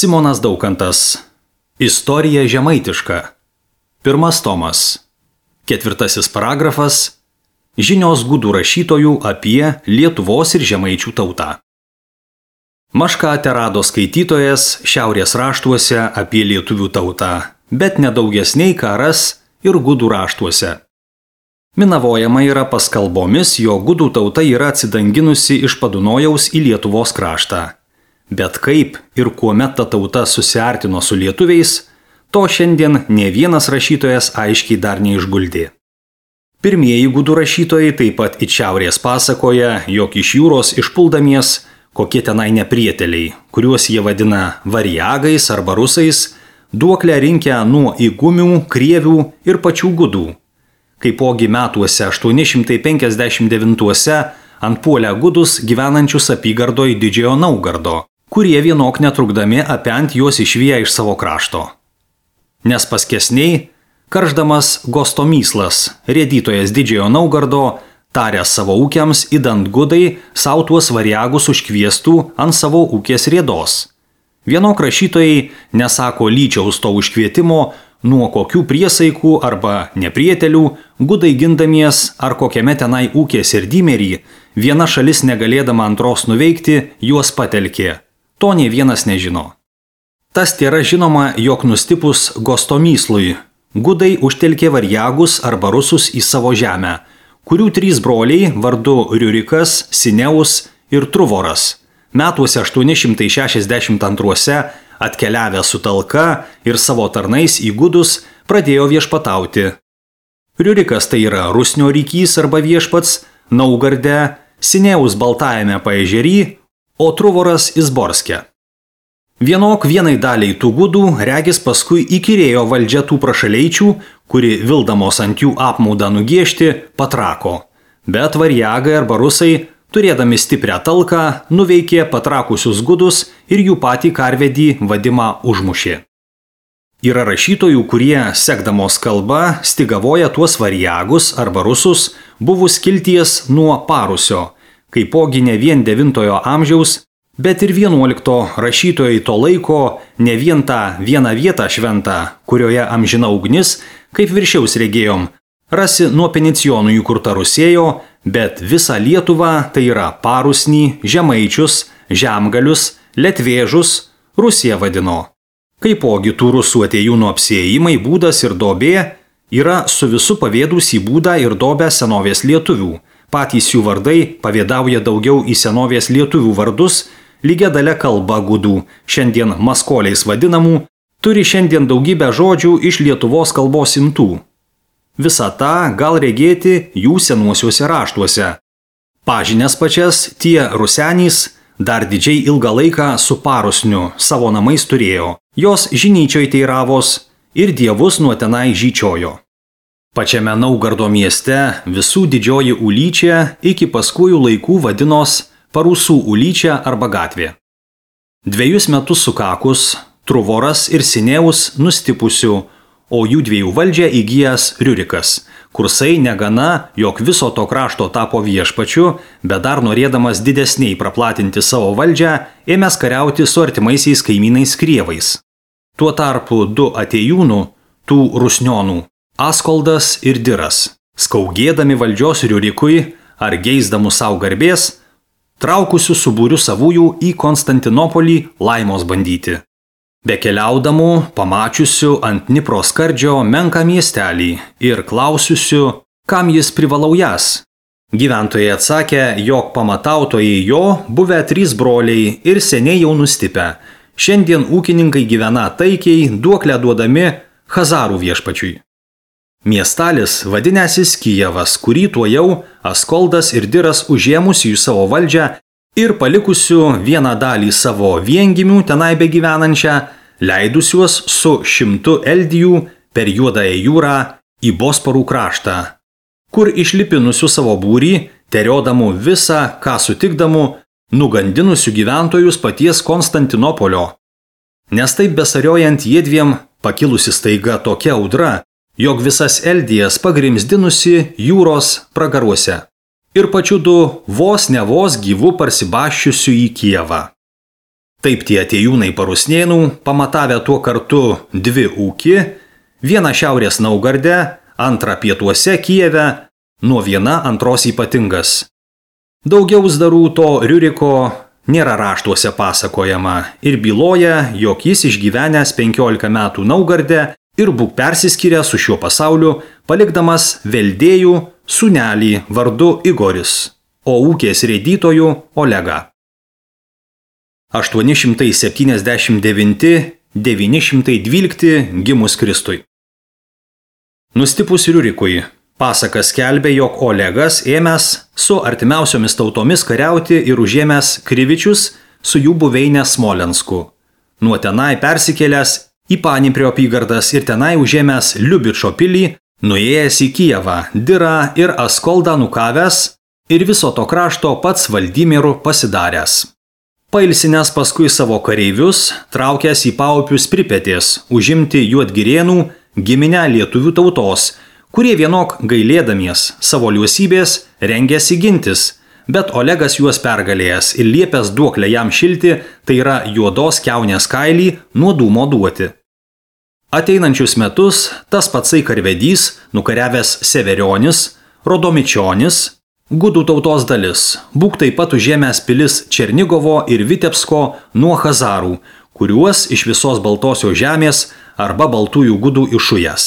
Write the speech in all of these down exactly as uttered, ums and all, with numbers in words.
Simonas Daukantas. Istorija žemaitiška. Pirmas tomas. Ketvirtasis paragrafas. Žinios gudų rašytojų apie Lietuvos ir žemaičių tautą. Mašką terado skaitytojas šiaurės raštuose apie lietuvių tautą, bet nedaugesniai karas ir gudų raštuose. Minavojama yra paskalbomis, jo gudų tauta yra atsidanginusi iš Padunojaus į Lietuvos kraštą. Bet kaip ir kuomet ta tauta susiartino su lietuviais, to šiandien ne vienas rašytojas aiškiai dar neišguldė. Pirmieji gudų rašytojai taip pat į šiaurės pasakoja, jog iš jūros išpuldamies kokie tenai neprieteliai, kuriuos jie vadina variagais arba rusais, duoklę rinkę nuo įgumių, krievių ir pačių gudų. Kaipogi metuose aštuoni šimtai penkiasdešimt devintuose antpuolę gudus gyvenančius apygardoj Didžiojo Naugardo, kurie vienok netrukdami apent juos išvyja iš savo krašto. Nes paskesniai, karždamas Gostomyslas, rėdytojas Didžiojo Naugardo, taręs savo ūkiams įdant gudai, sau tuos variagus užkviestų ant savo ūkės rėdos. Vienok rašytojai nesako lyčiaus to užkvietimo, nuo kokių priesaikų arba neprietelių, gudai gindamies ar kokiame tenai ūkės ir dymerį, viena šalis negalėdama antros nuveikti, juos patelkė. To nė vienas nežino. Tas tėra žinoma, jog nustipus Gostomyslui, gudai užtelkė variagus arba rusus į savo žemę, kurių trys broliai vardu Riurikas, Sineus ir Truvoras, metuose aštuoni šimtai šešiasdešimt antruose atkeliavę su talka ir savo tarnais į gudus pradėjo viešpatauti. Riurikas tai yra Rusnio rykys arba viešpats Naugarde, Sineus Baltajame paežery, o Truvoras Izborske. Vienok vienai daliai tų gudų regis paskui įkyrėjo valdžia tų prašaleičių, kuri vildamos ant jų apmaudą nugiešti, patrako. Bet variagai arba rusai, turėdami stiprią talką, nuveikė patrakusius gudus ir jų patį karvedį vadimą užmušė. Yra rašytojų, kurie, sekdamos kalba, stigavoja tuos variagus arba rusus, buvus kilties nuo Parusio, kaipogi ne vien devintojo amžiaus, bet ir vienuolikto rašytojai to laiko ne vien tą vieną vietą šventą, kurioje amžina ugnis, kaip viršiaus regėjom, rasi nuo Penicijonų įkurta Rusėjo, bet visą Lietuvą, tai yra Parusnį, Žemaičius, Žemgalius, Letvėžus, Rusiją vadino. Kaipogi tų rusų atėjūnų apsiėjimai, būdas ir dobė yra su visu pavėdus į būdą ir dobę senovės lietuvių. Patys jų vardai pavėdauja daugiau į senovės lietuvių vardus, lygia dalia kalba gudų, šiandien maskoliais vadinamų, turi šiandien daugybę žodžių iš Lietuvos kalbos imtų. Visą tą gal regėti jų senuosiuose raštuose. Pažinės pačias tie rusenys dar didžiai ilgą laiką su Parusniu savo namais turėjo, jos žinyčioj teiravos ir dievus nuo tenai žyčiojo. Pačiame Naugardo mieste visų didžioji ulyčia iki paskujų laikų vadinos Parusų ulyčia arba gatvė. Dviejus metus sukakus, Truvoras ir Sineus nustipusių, o jų dviejų valdžią įgijęs Riurikas, kursai negana, jog viso to krašto tapo viešpačiu, bet dar norėdamas didesniai praplatinti savo valdžią, ėmęs kariauti su artimaisiais kaimynais krievais. Tuo tarpu du atėjūnų, tų rusnionų, Askoldas ir Diras, skaugėdami valdžios Riurikui ar geisdamų savo garbės, traukusių su būriu savųjų į Konstantinopolį laimos bandyti. Bekeliaudamų, pamačiusių ant Dnipro skardžio menką miestelį ir klausiusių, kam jis privalau jas. Gyventojai atsakė, jog pamatautojai jo buvę trys broliai ir seniai jau nustipę. Šiandien ūkininkai gyvena taikiai, duoklę duodami Chazarų viešpačiui. Miestalis vadinęsis Kijevas, kurį tuojau Askoldas ir Diras užėmusių į savo valdžią ir palikusių vieną dalį savo viengimių tenai begyvenančią, leidusiuos su šimtu eldijų per Juodąją jūrą į Bosparų kraštą, kur išlipinusių savo būrį, teriodamų visą, ką sutikdamų, nugandinusių gyventojus paties Konstantinopolio. Nes taip besariojant jiedviem pakilusi staiga tokia audra, jog visas eldijas pagrimzdinusi jūros pragaruose ir pačiu du vos ne vos gyvų parsibaščiusių į Kijevą. Taip tie atėjūnai Parusnėnų, pamatavę tuo kartu dvi ūkį, vieną šiaurės Naugarde, antrą pietuose Kijeve, nuo viena antros ypatingas. Daugiau zdarų to Riuriko nėra raštuose pasakojama ir byloja, jog jis išgyvenęs penkiolika metų Naugarde ir būk persiskyręs su šiuo pasauliu, palikdamas veldėjų sūnelį vardu Igoris, o ūkės rėdytojų Olegą. aštuoni šimtai septyniasdešimt devinti devyni šimtai dvylikti gimus Kristui. Nustipus Riurikui, pasaka skelbė, jog Olegas ėmęs su artimiausiomis tautomis kariauti ir užėmęs Krivičius su jų buveinę Smolensku. Nuo tenai persikėlęs į Paniprio apygardas ir tenai užėmęs Liubičo pilį, nuėjęs į Kijevą, Dirą ir Askoldą nukavęs ir viso to krašto pats Valdimiru pasidaręs. Pailsinęs paskui savo kareivius, traukęs į Paupius Pripetės, užimti Juodgirėnų giminę lietuvių tautos, kurie vienok gailėdamies savo liusybės rengėsi gintis, bet Olegas juos pergalėjęs ir liepęs duoklę jam šilti, tai yra juodos kiaunės kailį nuo dūmo duoti. Ateinančius metus tas patsai karvedys, nukariavęs Severionis, Rodomičionis, gudų tautos dalis, būk taip pat užėmęs pilis Černigovo ir Vitebsko nuo Hazarų, kuriuos iš visos Baltosios žemės arba baltųjų gudų išujęs.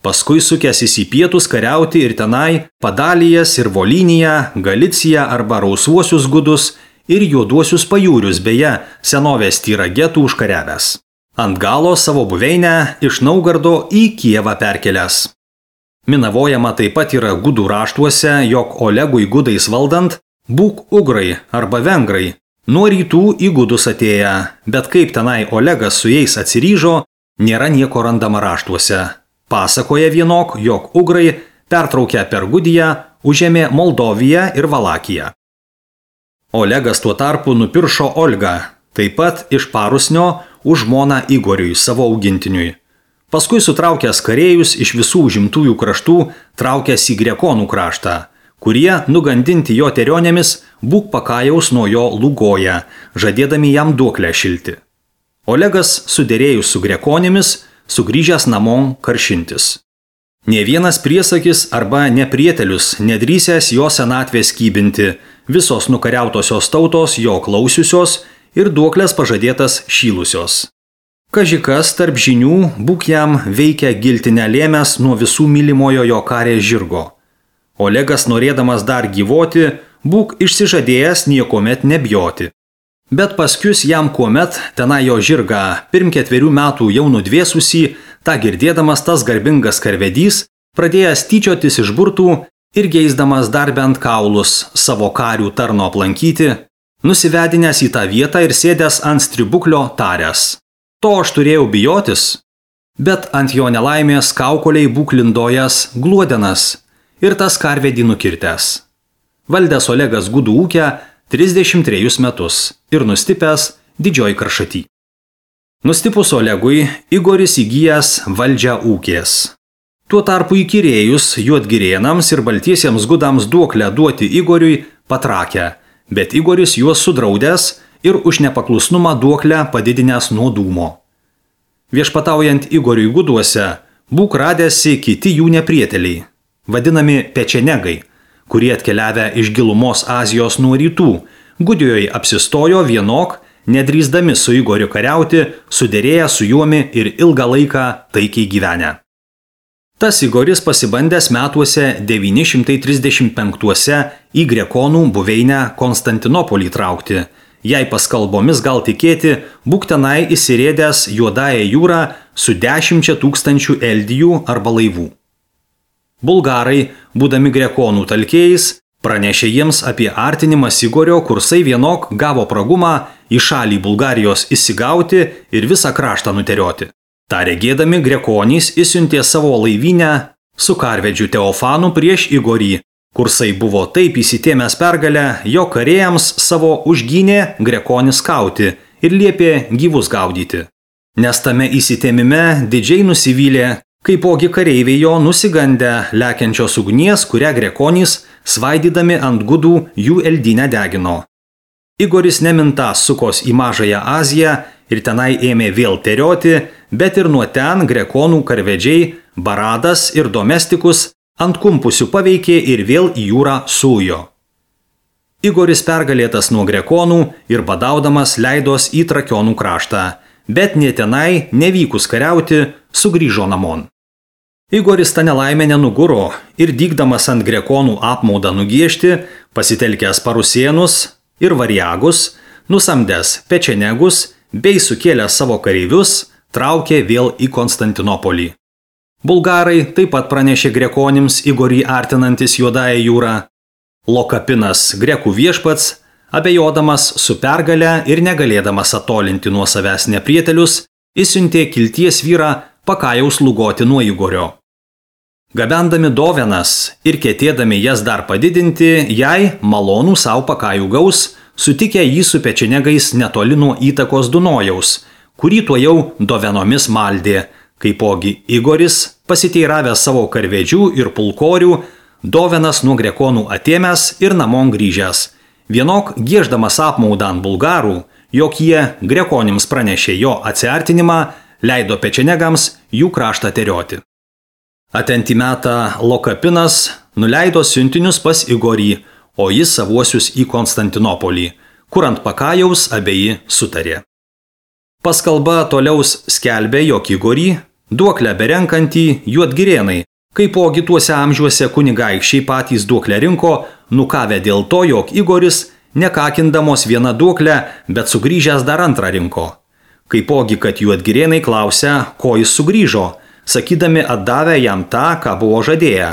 Paskui sukęsis į pietus kariauti ir tenai Padalijas ir Volyniją, Galiciją arba rausvuosius gudus ir juoduosius pajūrius, beje, senovės Tyragetų užkariavęs. Ant galo savo buveinę iš Naugardo į Kijevą perkelęs. Minavojama taip pat yra gudų raštuose, jog Olegui gudais valdant būk ugrai arba vengrai, nuo rytų į gudus atėję, bet kaip tenai Olegas su jais atsiryžo, nėra nieko randama raštuose. Pasakoja vienok, jog ugrai pertraukę per Gudiją užėmė Moldoviją ir Valakiją. Olegas tuo tarpu nupiršo Olgą, taip pat iš Parusnio už žmoną Igoriui, savo augintiniui. Paskui sutraukęs karėjus iš visų užimtųjų kraštų, traukęs į Grekonų kraštą, kurie, nugandinti jo terionėmis, būk pakajaus nuo jo lūgoja, žadėdami jam duoklę šilti. Olegas, suderėjus su Grekonėmis, sugrįžęs namon karšintis. Nė vienas priesakis arba neprietelius nedrįsęs jo senatvės kybinti, visos nukariautosios tautos jo klausiusios ir duoklės pažadėtas šylusios. Kažikas tarp žinių būk jam veikia giltinę lėmęs nuo visų mylimojo jo karės žirgo. Olegas, norėdamas dar gyvoti, būk išsižadėjęs niekomet nebjoti. Bet paskius jam kuomet tenai jo žirgą pirm ketverių metų jau nudvėsusį, tą girdėdamas tas garbingas karvedys, pradėjęs tyčiotis iš burtų ir geisdamas dar bent kaulus savo karių tarno aplankyti, nusivedinęs į tą vietą ir sėdęs ant stribuklio taręs. To aš turėjau bijotis, bet ant jo nelaimės kaukoliai būk lindojas Gluodenas ir tas karvedį nukirtęs. Valdęs Olegas gudų ūkę trisdešimt trejus metus ir nustipęs Didžioj Karšaty. Nustipus Olegui, Igoris įgyjęs valdžią ūkės. Tuo tarpu įkyrėjus Juodgirėnams ir baltiesiems gudams duoklę duoti Igoriui patrakę, bet Igoris juos sudraudęs ir už nepaklusnumą duoklę padidinęs nuo dūmo. Viešpataujant Igoriui guduose, būk radęsi kiti jų neprieteliai, vadinami pečenegai, kurie atkeliavę iš gilumos Azijos nuo rytų, Gudijoje apsistojo vienok, nedrįsdami su Igoriu kariauti, suderėję su juomi ir ilgą laiką taikiai gyvenę. Tas Igoris pasibandęs metuose devyni šimtai trisdešimt penktuose į Grekonų buveinę Konstantinopolį traukti. Jei paskalbomis gal tikėti, būk tenai įsirėdęs Juodąją jūrą su dešimčia tūkstančių eldijų arba laivų. Bulgarai, būdami Grekonų talkėjais, pranešė jiems apie artinimą Igorio, kursai vienok gavo pragumą į šalį Bulgarijos įsigauti ir visą kraštą nuterioti. Ta regėdami Grekonys įsiuntė savo laivynę su karvedžiu Teofanu prieš Igorį. Kursai buvo taip įsitėmęs pergalę, jo karėjams savo užgynė Grekonis kauti ir liepė gyvus gaudyti. Nes tame įsitėmime didžiai nusivylė, kaipogi kareiviai jo nusigandę lekiančios ugnies, kurią Grekonys, svaidydami ant gudų, jų eldinę degino. Igoris neminta sukos į Mažąją Aziją ir tenai ėmė vėl terioti, bet ir nuo ten grekonų karvedžiai Baradas ir Domestikus ant kumpusių paveikė ir vėl į jūrą sujo. Igoris pergalėtas nuo grekonų ir badaudamas leidos į Trakionų kraštą, bet ne tenai, nevykus kariauti, sugrįžo namon. Igoris tą nelaimę nenuguro ir dygdamas ant grekonų apmaudą nugiešti, pasitelkęs parusėnus ir variagus, nusamdęs pečenegus bei sukėlęs savo kareivius, traukė vėl į Konstantinopolį. Bulgarai taip pat pranešė grekonims Igorį artinantis Juodąją jūrą. Lokapinas, grekų viešpats, abejodamas su pergale ir negalėdamas atolinti nuo savęs neprietelius, išsiuntė kilties vyrą Pakajaus lugoti nuo Igorio. Gabendami dovenas ir ketėdami jas dar padidinti, jai malonų savo Pakajų gaus, sutikę jį su pečenegais netoli nuo įtakos Dunojaus, kurį tuo jau dovenomis maldė, kaipogi Igoris, pasiteiravęs savo karvedžių ir pulkorių, dovenas nuo grekonų atėmęs ir namon grįžęs, vienok gieždamas apmaudą ant bulgarų, jog jie grekonims pranešė jo atsiartinimą, leido pečenegams jų kraštą terioti. Atenti metą Lokapinas nuleido siuntinius pas Igorį, o jis savuosius į Konstantinopolį, kur ant Pakajaus abeji sutarė. Paskalba toliaus skelbė, jog Igorį, duoklę berenkantį juodgirėnai, kaipogi tuose amžiuose kunigaikščiai patys duoklę rinko, nukavę dėl to, jog Igoris, nekakindamos vieną duoklę, bet sugrįžęs dar antrą rinko. Kaipogi, kad juodgirėnai klausia, ko jis sugrįžo, sakydami atdavę jam tą, ką buvo žadėję.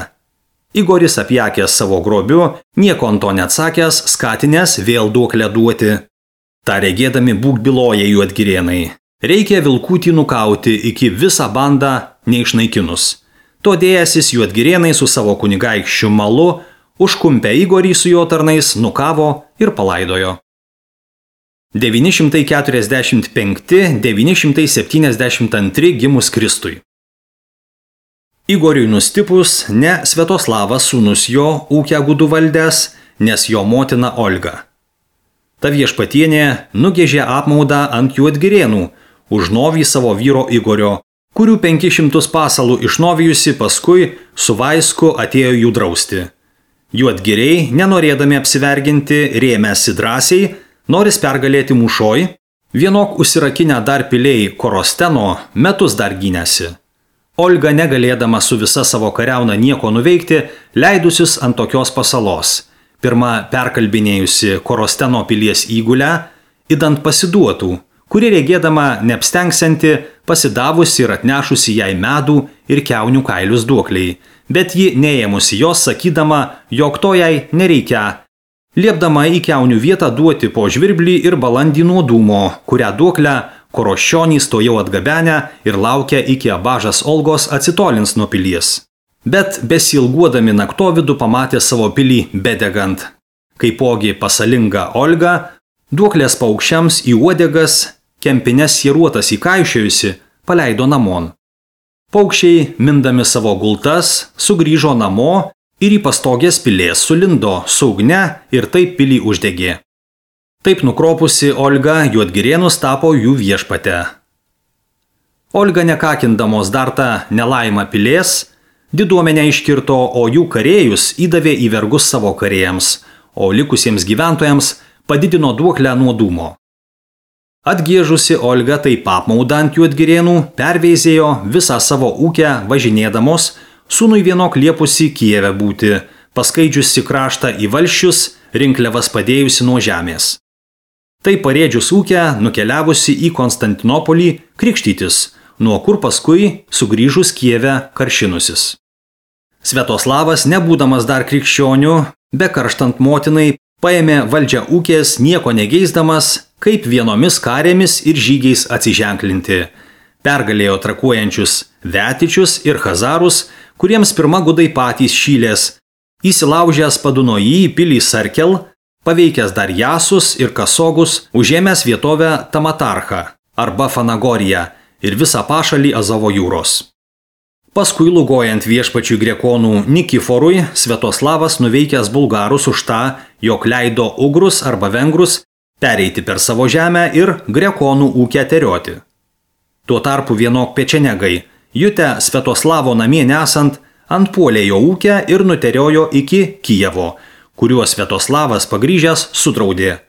Igoris apjakęs savo grobiu, nieko ant to neatsakęs, skatinęs vėl duoklę duoti. Ta regėdami būk byloja juodgirėnai. Reikia vilkutį nukauti iki visą bandą neišnaikinus. Todėjasis juodgirėnai su savo kunigaikščiu Malu, užkumpę Igorį su jo tarnais, nukavo ir palaidojo. devyni šimtai keturiasdešimt penkti devyni šimtai septyniasdešimt antri gimus Kristui. Igoriui nustipus, ne Sviatoslavas sūnus jo ūkę gudų valdęs, nes jo motina Olga. Ta viešpatienė nugėžė apmaudą ant juodgirėnų, užnovį savo vyro Igorio, kurių penkis šimtus pasalų išnovijusi paskui su vaisku atėjo jų drausti. Juodgiriai, nenorėdami apsiverginti, rėmėsi drąsiai, noris pergalėti mūšoj, vienok užsirakinę dar piliai Korosteno, metus dar gynėsi. Olga, negalėdama su visa savo kariauna nieko nuveikti, leidusius ant tokios pasalos. Pirma perkalbinėjusi Korosteno pilies įgulę, idant pasiduotų, kuri regėdama neapstengsianti, pasidavusi ir atnešusi jai medų ir kiaunių kailius duokliai, bet ji neėmusi jos sakydama, jog to jai nereikia, liepdama į kiaunių vietą duoti po žvirblį ir balandį nuo dūmo, kurią duoklę Koroščionys to jau atgabenę ir laukia iki abažas Olgos atsitolins nuo pilies. Bet besilguodami naktovidų pamatė savo pilį bedegant. Kaipogi pasalinga Olga, duoklės paukščiams į uodegas, kempines sieruotas įkaišėjusi, paleido namon. Paukščiai, mindami savo gultas, sugrįžo namo ir į pastogės pilės sulindo su ugne ir taip pilį uždegė. Taip nukropusi Olga juodgirėnus tapo jų viešpate. Olga nekakindamos dar tą nelaimą pilės, diduomenę iškirto, o jų karėjus įdavė į vergus savo karėjams, o likusiems gyventojams padidino duoklę nuo dūmo. Atgiežusi Olga taip apmaudą ant juodgirėnų perveizėjo visą savo ūkę važinėdamos, sūnui vienok liepusi Kijeve būti, paskaidžiusi kraštą į valsčius, rinkliavas padėjusi nuo žemės. Tai parėdžius ūkę nukeliavusi į Konstantinopolį krikštytis, nuo kur paskui sugrįžus Kijeve karšinusis. Sviatoslavas, nebūdamas dar krikščionių, be karštant motinai, paėmė valdžią ūkės nieko negeisdamas, kaip vienomis karėmis ir žygiais atsiženklinti. Pergalėjo trakuojančius Vetičius ir Chazarus, kuriems pirma gudai patys šylės, įsilaužęs Padunojį į pilį Sarkel, paveikęs dar Jasus ir Kasogus, užėmęs vietovę Tamatarchą arba Fanagoriją ir visą pašalį Azovo jūros. Paskui lugojant viešpačiui grekonų Nikiforui, Sviatoslavas nuveikęs bulgarus už tą, jog leido ugrus arba vengrus pereiti per savo žemę ir grekonų ūkę terioti. Tuo tarpu vienok pečenegai, jutę Sviatoslavo namie nesant, antpuolė jo ūkę ir nuteriojo iki Kijevo, kuriuo Sviatoslavas pagrįžęs sudraudė.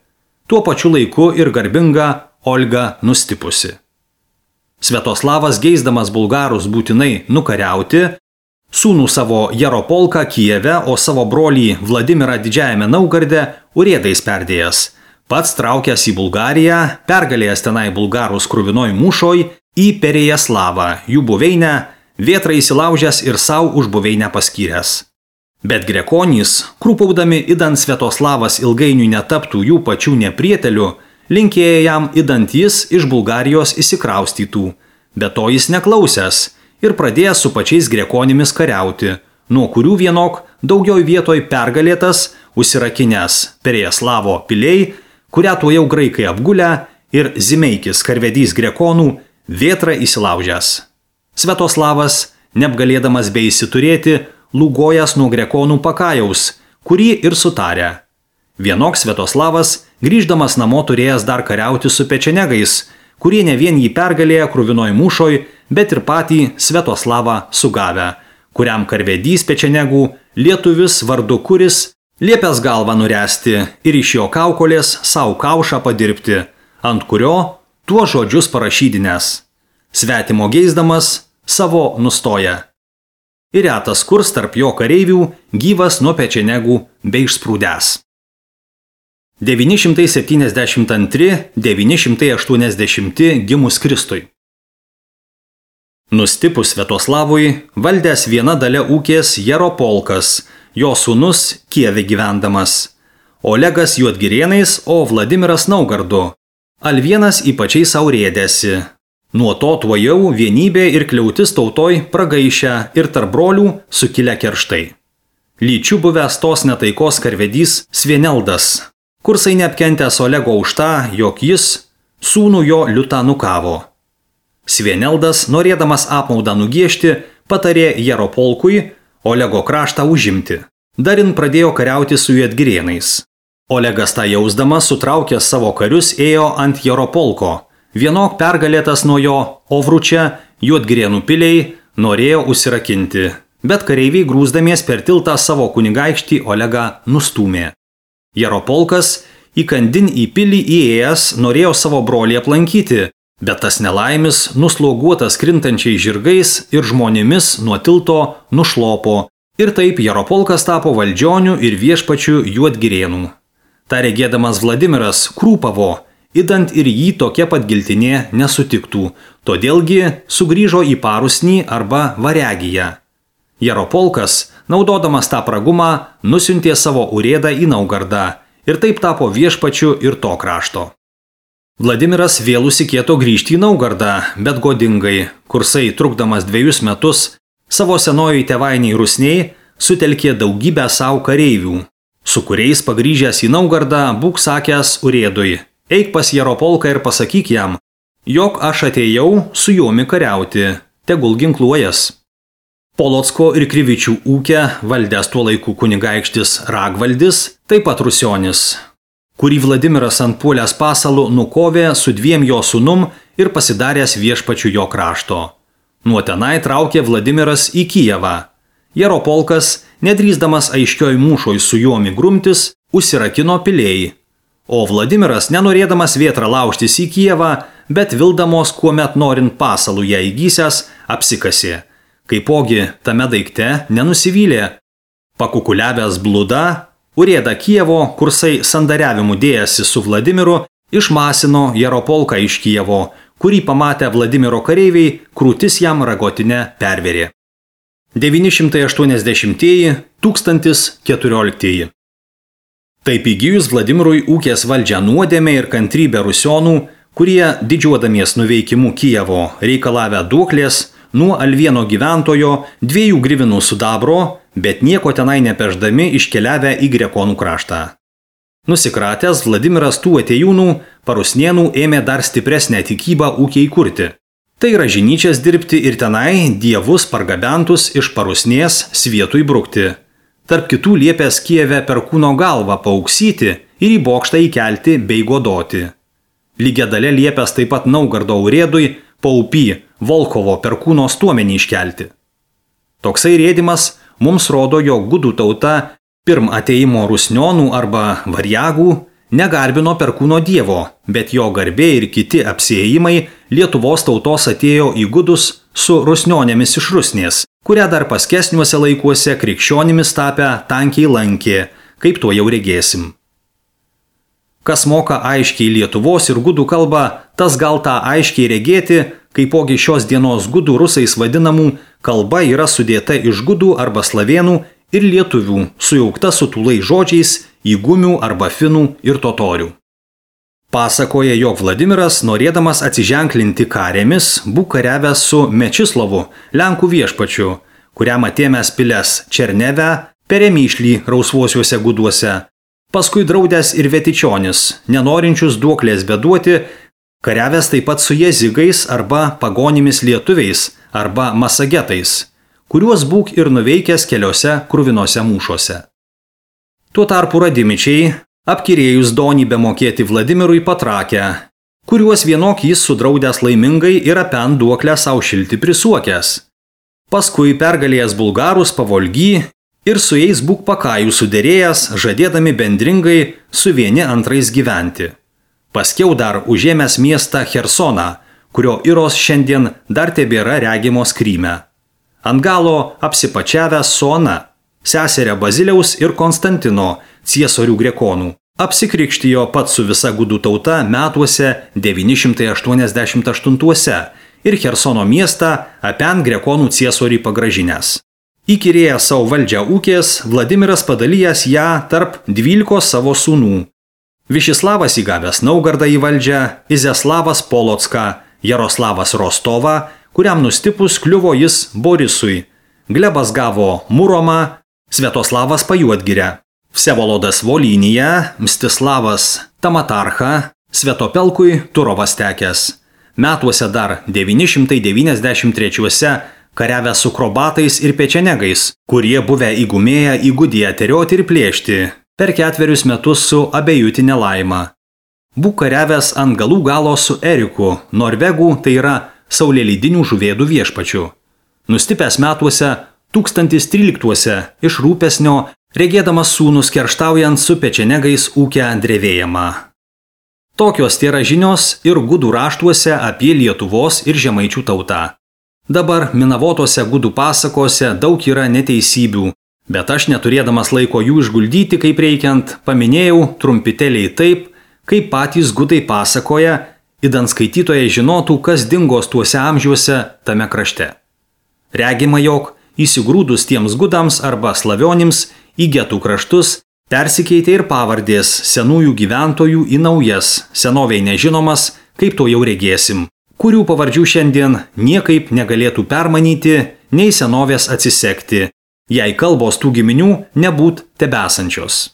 Tuo pačiu laiku ir garbinga Olga nustipusi. Sviatoslavas geisdamas bulgarus būtinai nukariauti, sūnų savo Jaropolką Kijeve, o savo brolį Vladimirą Didžiajame Naugarde urėdais perdėjęs, pats traukęs į Bulgariją, pergalėjęs tenai bulgarus kruvinoj mūšoj, į Perejaslavą, jų buveinę, vėtrą įsilaužęs ir savo už buveinę paskyręs. Bet grekonys, krūpaudami idant Sviatoslavas ilgainiui netaptų jų pačių neprietelių, linkėjo jam idant jis iš Bulgarijos įsikraustytų, bet to jis neklausęs ir pradėjęs su pačiais grekonimis kariauti, nuo kurių vienok daugiau vietoj pergalėtas, užsirakinęs Perejaslavo piliai, kurią tuo jau graikai apgulę, ir Zimeikis karvedys grekonų vėtrą įsilaužęs. Sviatoslavas, neapgalėdamas bei įsiturėti, lūgojas nuo grekonų pakajaus, kurį ir sutarė. Vienok Sviatoslavas, grįždamas namo turėjęs dar kariauti su pečenegais, kurie ne vien jį pergalėjo kruvinoj mūšoj, bet ir patį Sviatoslavą sugavę, kuriam karvedys pečenegų, lietuvis vardu Kuris, liepęs galvą nuresti ir iš jo kaukolės savo kaušą padirbti, ant kurio tuo žodžius parašydinės. Svetimo geisdamas savo nustoja. Ir retas kurs tarp jo kareivių gyvas nuo pečenegų bei išsprūdęs. devyni šimtai septyniasdešimt antri - devyni šimtai aštuoniasdešimti gimus Kristui. Nustipus Sviatoslavui, valdęs viena dalia ūkės Jaropolkas, jo sūnus Kijeve gyvendamas, Olegas Juodgirėnais, o Vladimiras Naugardu. Alvienas ypačiai saurėdėsi. Nuo to tuojau vienybė ir kliautis tautoj pragaišę ir tarp brolių sukilę kerštai. Lyčių buvęs tos netaikos karvedys Svieneldas, kursai neapkentęs Olego už tą, jog jis sūnų jo liutą nukavo. Svieneldas, norėdamas apmaudą nugiešti, patarė Jaropolkui Olego kraštą užimti. Darin pradėjo kariauti su Juodgirėnais. Olegas tą jausdamas, sutraukęs savo karius, ėjo ant Jaropolko. Vienok pergalėtas nuo jo Ovručia, Juodgirėnų piliai, norėjo užsirakinti, bet kareiviai grūsdamies per tiltą savo kunigaikštį Olegą nustūmė. Jaropolkas įkandin į pilį įėjęs norėjo savo brolį aplankyti, bet tas nelaimis, nusloguotas krintančiais žirgais ir žmonėmis nuo tilto nušlopo, ir taip Jaropolkas tapo valdžioniu ir viešpačiu Juodgirėnų. Ta regėdamas Vladimiras krūpavo, idant ir jį tokia pat giltinė nesutiktų, todėlgi sugrįžo į Parusnį arba Varegiją. Jaropolkas, naudodamas tą pragumą, nusiuntė savo urėdą į Naugardą ir taip tapo viešpačiu ir to krašto. Vladimiras vėl užsikėto grįžti į Naugardą, bet godingai, kursai trukdamas dviejus metus, savo senojai tėvainiai Rusniai sutelkė daugybę savo kareivių, su kuriais pagrįžęs į Naugardą būk sakęs urėdui: eik pas Jaropolką ir pasakyk jam, jog aš atėjau su juomi kariauti, tegul ginkluojas. Polocko ir Krivičių ūkę valdęs tuo laiku kunigaikštis Ragvaldis, taip pat Rusionis, kurį Vladimiras ant puolės pasalų nukovė su dviem jo sūnum ir pasidaręs viešpačiu jo krašto. Nuo tenai traukė Vladimiras į Kijevą. Jaropolkas, nedrįsdamas aiškioj mūšoj su juomi grumtis, užsirakino piliai. O Vladimiras, nenorėdamas vėtrą laužtis į Kijevą, bet vildamos, kuomet norint pasalų ją įgysęs, apsikasė. Kaipogi tame daikte nenusivylė. Pakukuliavęs blūda, urėda Kijevo, kursai sandariavimu dėjasi su Vladimiru, išmasino Jaropolką iš Kijevo, kurį pamatę Vladimiro kareiviai, krūtis jam ragotinę perverė. devyni šimtai aštuoniasdešimtieji - tūkstantis keturioliktieji. Taip įgyjus Vladimirui ūkės valdžią nuodėmę ir kantrybę rusionų, kurie didžiuodamies nuveikimu Kijevo reikalavę duoklės, nuo Alvieno gyventojo dviejų grivinų sidabro, bet nieko tenai nepeždami iškeliavę į grekonų kraštą. Nusikratęs Vladimiras tų atėjūnų, Parusnėnų ėmė dar stipresnę tikybą ūkiai kurti. Tai yra žinyčias dirbti ir tenai dievus pargabentus iš Parusnės Svietui brukti. Tarp kitų liepęs Kijeve per kūno galvą pauksyti ir į bokštą įkelti bei godoti. Lygia dalė liepęs taip pat Naugardo urėdui Paupy Volkovo perkūno stuomenį iškelti. Toksai rėdimas mums rodo, jog gudų tauta pirm ateimo rusnionų arba variagų negarbino perkūno dievo, bet jo garbė ir kiti apsiėjimai Lietuvos tautos atėjo į gudus su rusnionėmis iš Rusnės, kurią dar paskesniuose laikuose krikščionimis tapę tankiai lankė, kaip to jau regėsim. Kas moka aiškiai Lietuvos ir gudų kalbą, tas gal tą aiškiai regėti, kaipogi šios dienos gudų rusais vadinamų kalba yra sudėta iš gudų arba slavėnų ir lietuvių, sujaukta su tūlai žodžiais į gumių arba finų ir totorių. Pasakoja, jog Vladimiras, norėdamas atsiženklinti karėmis, būk kariavęs su Mečislovu, Lenkų viešpačiu, kuriam atėmęs piles Černeve, Peremyšlį rausvuosiuose guduose, paskui draudęs ir Vetičionis, nenorinčius duoklės beduoti, kariavęs taip pat su jezigais arba pagonimis lietuviais arba masagetais, kuriuos būk ir nuveikęs keliose kruvinose mūšuose. Tuo tarpu radimičiai, apkirėjus donybę mokėti Vladimirui patrakę, kuriuos vienok jis sudraudęs laimingai ir apen duoklę savo šilti prisuokęs. Paskui pergalėjęs bulgarus pavolgy ir su jais būk pakajų suderėjęs, žadėdami bendringai su vieni antrais gyventi. Paskiau dar užėmęs miestą Chersoną, kurio iros šiandien dar tebėra regimos Kryme. Ant galo apsipačiavęs su Ona, seserė Baziliaus ir Konstantino, ciesorių grekonų, apsikrikštijo pats su visa gudų tauta metuose devyni šimtai aštuoniasdešimt aštuntuose ir Chersono miestą apen grekonų ciesoriui pagražinęs. Įkyrėjęs savo valdžią ūkės, Vladimiras padalijęs ją tarp dvylikos savo sūnų. Višislavas įgavęs Naugardą į valdžią, Izeslavas Polocką, Jaroslavas Rostovą, kuriam nustipus kliuvo jis Borisui, Glebas gavo Muromą, Sviatoslavas Pajuodgirę, Vsevolodas Volyniją, Mstislavas Tamatarchą, Sviatopelkui Turovas tekęs. Metuose dar devyni šimtai devyniasdešimt trečiuose kariavę su krobatais ir pečenegais, kurie buvę įgumėję įgudiją terioti ir plėšti, per ketverius metus su abejutinė laima. Būk kariavęs ant galų galo su Eriku, Norvegų, tai yra saulėlydinių žuvėdų viešpačiu. Nustipęs metuose tūkstantis tryliktuose iš rūpesnio, regėdamas sūnus kerštaujant su pečenegais ūkę drevėjimą. Tokios tėra žinios ir gudų raštuose apie Lietuvos ir žemaičių tautą. Dabar minavotose gudų pasakose daug yra neteisybių, bet aš neturėdamas laiko jų išguldyti kaip reikiant, paminėjau trumpiteliai taip, kaip patys gudai pasakoja, idant skaitytojai žinotų, kas dingos tuose amžiuose tame krašte. Regima, jog įsigrūdus tiems gudams arba slavionims į getų kraštus persikeitė ir pavardės senųjų gyventojų į naujas, senoviai nežinomas, kaip to jau regėsim, kurių pavardžių šiandien niekaip negalėtų permanyti, nei senovės atsisekti, jei kalbos tų giminių nebūt tebesančios.